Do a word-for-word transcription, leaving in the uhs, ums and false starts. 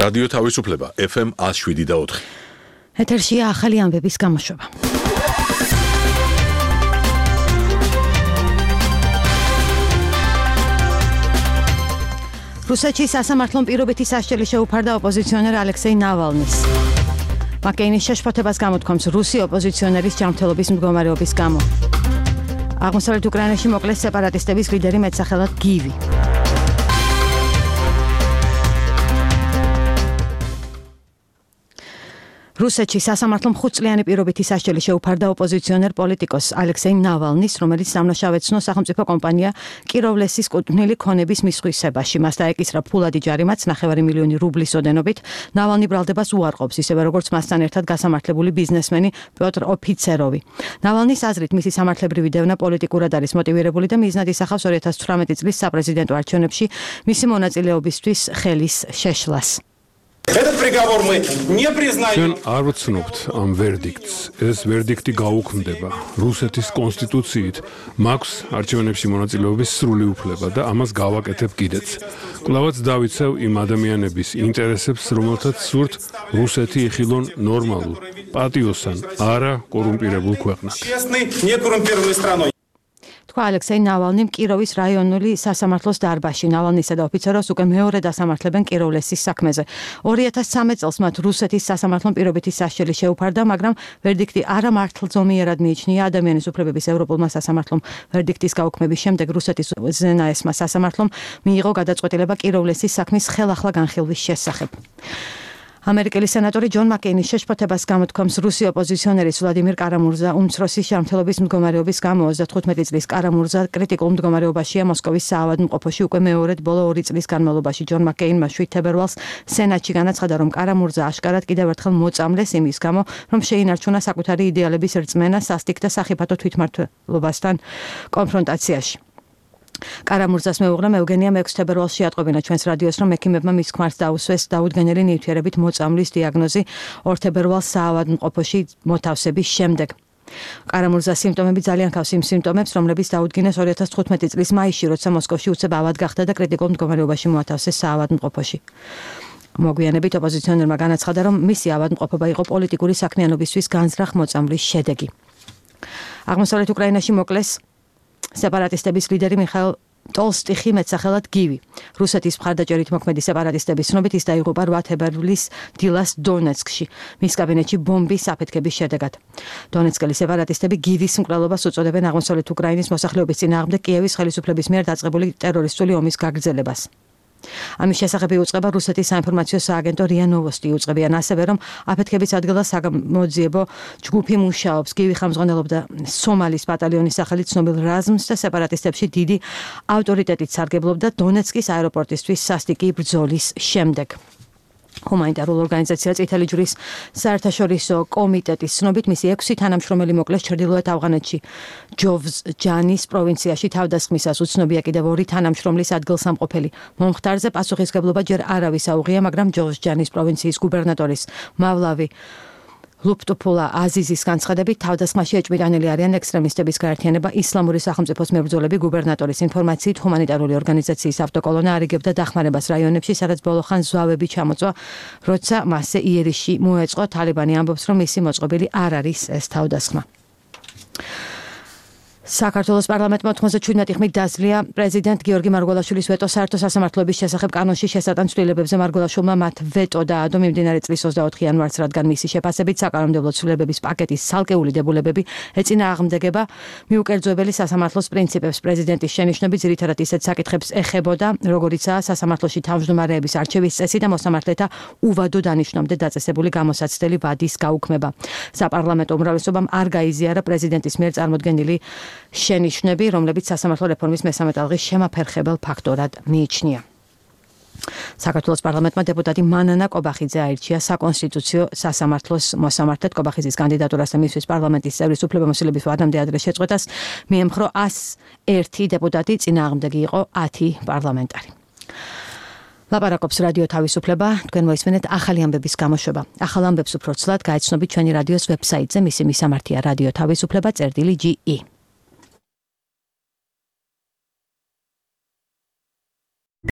რადიო თავისუფლება ეფ ემ one oh seven და four. ეთერშია ახალი ამბების გამოშვება. რუსეთში სასამართლომ პირობითი სასჯელი შეუფარდა ოპოზიციონერ ალექსეი ნავალნის. მაკეინის შეშფოთებას გამოთქვამს რუსი ოპოზიციონერის ჯანმრთელობის მდგომარეობის გამო. აღმოსავლეთ უკრაინაში მოკლეს სეპარატისტების ლიდერი მეტსახელად გივი. რუსეთში სასამართლომ ხუთწლიანი პირობითი სასჯელი შეუფარდა ოპოზიციონერ პოლიტიკოს ალექსეი ნავალნის, რომელიც სამნაშავე ცნო სახელმწიფო კომპანია კიროვლესის კუთვნილი ქონების მისხვისებაში. მას დაეკისრა ფულადი ჯარიმაც ნახევარი მილიონი რუბლის ოდენობით. ნავალნი ბრალდებას უარყოფს, ისევე როგორც მასთან ერთად გასამართლებული ბიზნესმენი პიოტრ ოფიცეროვი. ნავალნის აზრით, მისი სამართლებრივი დევნა პოლიტიკურად არის მოტივირებული და მიზნად ისახავს two thousand eighteen წლის საპრეზიდენტო არჩევნებში მისი მონაწილეობისთვის ხელის შეშლას. ჩვენ არ ვცნობთ ამ ვერდიქტს. ეს ვერდიქტი გაუქმდება. რუსეთის კონსტიტუციით მაქვს არჩევნებში მონაწილეობის სრული უფლება და ამას გავაკეთებ კიდეც. კვლავაც დავიცევ იმ ადამიანების ინტერესებს, რომელთაც სურთ რუსეთი იხილონ ნორმალურ, პატიოსან, არა კორუმპირებულ ქვეყნად. თქვა ალექსეი ნავალნიმ კიროვის რაიონული სასამართლოს დარბაზში. ნავალნისა და ოფიცეროს უკვე მეორე დასამართლებენ კიროვლესის საქმეზე. two thousand thirteen წელს მათ რუსეთის სასამართლომ პირობითი სასჯელი შეუფარდა, მაგრამ ვერდიქტი არა მართლძომიერად მიიჩნია. ადამიანის უფლებების ევროპულმა სასამართლომ ვერდიქტის გაუქმების შემდეგ რუსეთის ზენაესმა სასამართლომ მიიღო გადაწყვეტილება კიროვლესის საქმის ხელახლა განხილვის შესახებ. ამერიკელი სენატორი ჯონ მაკეინის შეშფოთებას გამოთქვამს რუსი ოპოზიციონერის ვლადიმირ კარამურზა უმცროსი ჯანმრთელობის მდგომარეობის გამო ოცდათხუთმეტი წლის კარამურზა კრიტიკულ მდგომარეობაშია მოსკოვის საავადმყოფოში უკვე მეორედ ბოლო ორი წლის განმავლობაში. ჯონ მაკეინმა შვიდ თებერვალს სენატში განაცხადა, რომ კარამურზა აშკარად კიდევ ერთხელ მოწამლეს იმის გამო, რომ შეინარჩუნა საკუთარი იდეალების რწმენა სასტიკ და სახიფათო თვითმმართველობასთან კონფრონტაციაში. კარამურზას მეუღლემ ევგენიამ ექვსი თებერვალს შეატყობინა ჩვენს რადიოს, რომ ექიმებმა მის ქმარს დაუსვეს დაუდგენელი ნივთიერებით მოწამვლის დიაგნოზი ორ თებერვალს საავადმყოფოში მოთავსების შემდეგ. კარამურზას სიმპტომები ძალიან ჰგავს იმ სიმპტომებს, რომლებიც დაუდგინეს two thousand თხუთმეტი წლის მაისში, როცა მოსკოვში უცებ ავად გახდა და კრიტიკულ მდგომარეობაში მოათავსეს საავადმყოფოში. მოგვიანებით ოპოზიციონერმა განაცხადა, რომ მისი ავადმყოფობა იყო პოლიტიკური საქმიანობისთვის განზრახ მოწამვლის შედეგი. აღმოსავლეთ უკრაინაში მოკლეს სეპარატისტების ლიდერი მიხაილ ტოლსტიხი მეტსახელად გივი. რუსეთის მხარდაჭერით მოქმედი სეპარატისტების ცნობით ის დაიღუპა eight თებერვლის დილას დონეცკში, მის კაბინეტში ბომბის აფეთქების შედეგად. დონეცკელი სეპარატისტები გივის მკვლელობას უწოდებენ აღმოსავლეთ უკრაინის მოსახლეობის წინააღმდეგ კიევის ხელისუფლების მიერ დაწყებული ტერორისტული ომის გაგრძელებას. ამის შესახებ იუწყება რუსეთის საინფორმაციო სააგენტო რია ნოვოსტი. იუწყებიან ასევე, რომ აფეთქების ადგილას საგამოძიებო ჯგუფი მუშაობს. გივი ხელმძღვანელობდა სომალის ბატალიონის სახელით ცნობილ რაზმს და სეპარატისტებში დიდი ავტორიტეტით სარგებლობდა დონეცკის აეროპორტისთვის სასტიკი ბრძოლის შემდეგ. ჰუმანიტარულ ორგანიზაცია წითელი ჯვრის საერთაშორისო კომიტეტის ცნობით მისი ექვსი თანამშრომელი მოკლეს ჩრდილოეთ ავღანეთში ჯოვზჯანის პროვინციაში. თავდასხმისას უცნობია კიდევ ორი თანამშრომლის ადგილსამყოფელი. მომხდარზე პასუხისმგებლობა ჯერ არავის აუღია, მაგრამ ჯოვზჯანის პროვინციის გუბერნატორის მავლავი ლუპტუფულა აზიზის განცხადებით თავდასხმაში ეჭვმიტანილი არიან ექსტრემისტების გაერთიანება ისლამური სახელმწიფოს მებრძოლები. გუბერნატორის ინფორმაციით ჰუმანიტარული ორგანიზაციის ავტოკოლონა არიგებდა დახმარებას რაიონებში, სადაც ბოლოხან ზვავები ჩამოწვა, როცა მასზე იერიშში მოეწყო. თალიბანი ამბობს, რომ მისი მოწყობილი არ არის ეს თავდასხმა. საქართველოს პარლამენტმა ოთხმოცდაშვიდმეტი ხმით დაძლია პრეზიდენტ გიორგი მარგველაშვილის ვეტო საერთო სასამართლოების შესახებ კანონში შესატან ცვლილებებზე. მარგველაშვილმა მათ ვეტო დაადო მიმდინარე წლის ოცდაოთხი იანვარს, რადგან მისი შეფასებით საკანონმდებლო ცვლილებების პაკეტის ცალკეული დებულებები ეწინააღმდეგება მიუკერძოებელი სასამართლოს პრინციპებს. პრეზიდენტის შენიშვნები ძირითადად ისეთ საკითხებს ეხებოდა, როგორიცაა სასამართლოში თავმჯდომარეების არჩევის წესი და მოსამართლეთა უვადო დანიშნამდე დაწესებული გამოსაცდელი ვადის გაუქმება. საპარლამენტო უმრავლესობამ არ გაიზიარა პრეზიდენტის მიერ წარმოდგენილი შენიშვნები, რომლებიც სასამართლო რეფორმის მესამე ტალღის შემაფერხებელ ფაქტორად მიიჩნია. საქართველოს პარლამენტმა დეპუტატი მანანა კობახიძე აირჩია საკონსტიტუციო სასამართლოს მოსამართლედ. კობახიძის კანდიდატურას და მისთვის პარლამენტის წევრის უფლებამოსილების ვადამდე ადრე შეწყვეტას მიემხრო one oh one დეპუტატი, წინააღმდეგი იყო ten პარლამენტარი. ლაპარაკობს რადიო თავისუფლება, თქვენ მოისმენთ ახალი ამბების გამოშვება. ახალ ამბებს უფრო ცვლად გაეცნობით ჩვენი რადიოს ვებსაიტზე, მისი მისამართია რადიო თავისუფლება წერტილი ჯი ი.